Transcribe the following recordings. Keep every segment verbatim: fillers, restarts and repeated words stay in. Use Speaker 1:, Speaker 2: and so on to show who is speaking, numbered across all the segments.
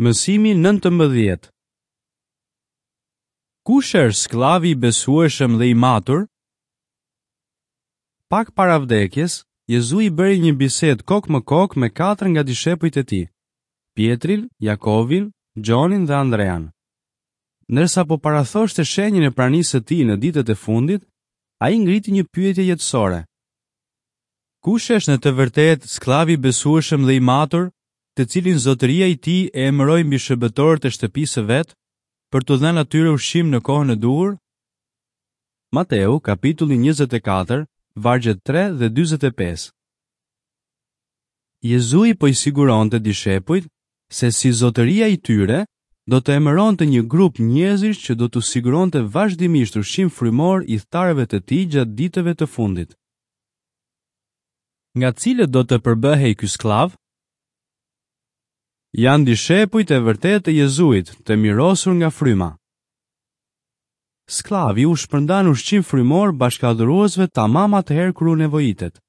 Speaker 1: Mësimi nëntëmbëdhjetë. Kush është skllavi i besueshëm dhe i matur? Pak para vdekjes, Jezui bëri një bisedë kokë më kokë me katër nga dishepujt e tij, Pietrin, Jakovin, Gjonin dhe Andrean. Ndërsa po parathoshte shenjën e pranisë së tij në ditët e fundit, ai ngriti një pyetje jetësore. Kush është në të vërtetë skllavi i besueshëm dhe i matur, të cilin zotëria i tij e emëroi mbi shërbëtorët e shtëpisë së vet, për t'u dhënë atyre ushqim në kohën e duhur? Mateu, kapitulli njëzet e katër, vargjet tre dhe dyzet e pesë. Jezui po i siguronte dishepujt se si zotëria i tyre do të emëronte një grup njerëzish që do t'u siguronte vazhdimisht ushqim frymor ithtarëve të tij gjatë ditëve të fundit. Nga cilët do të përbëhej ky skllav? Janë dishepujt e vërtetë të Jezuit, të mirosur nga fryma. Skllavi u shpërndan ushqim frymor bashkadhuruesve tamam atëherë kur u nevojitet.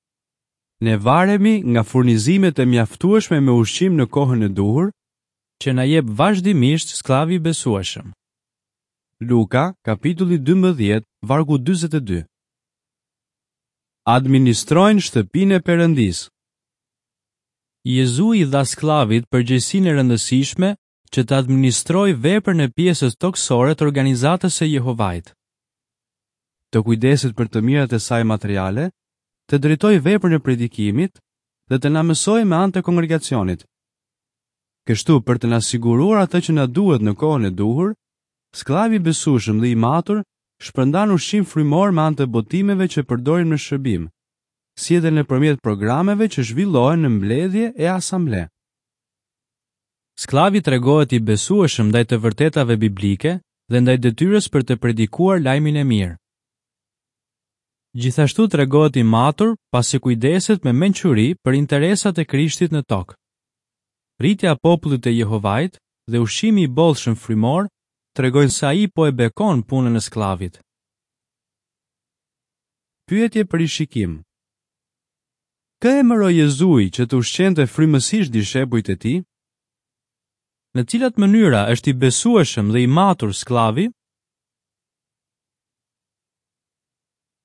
Speaker 1: Ne varemi nga furnizimet e mjaftueshme me ushqim në kohën e duhur, që na jep vazhdimisht skllavi i besueshëm. Luka, kapitulli dymbëdhjetë, vargu dyzet e dy. Administrojnë shtëpinë e Perëndisë. Jezui i dha skllavit përgjegjësinë e rëndësishme që të administrojë veprën e pjesës tokësore të organizatës së Jehovait. Të kujdeset për të mirat e saj materiale, të drejtojë veprën e predikimit dhe të na mësojë me anë të kongregacionit. Kështu, për të na siguruar atë që na duhet në kohën e duhur, skllavi i besueshëm dhe i matur shpërndan ushqim frymor me anë të botimeve që përdorim në shërbim, si edhe nëpërmjet programeve që zhvillohen në mbledhje e asamble. Skllavi tregohet i besueshëm ndaj të vërtetave biblike dhe ndaj detyrës për të predikuar lajmin e mirë. Gjithashtu tregohet i matur pasi kujdeset me mençuri për interesat e Krishtit në tokë. Rritja e popullit të Jehovait dhe ushqimi i bollshëm frymor tregojnë se ai po e bekon punën e skllavit. Pyetje për rishikim. Kë emëroi Jezui që të ushqente frymësisht dishepujt e tij? Në cilat mënyra është i besueshëm dhe i matur skllavi?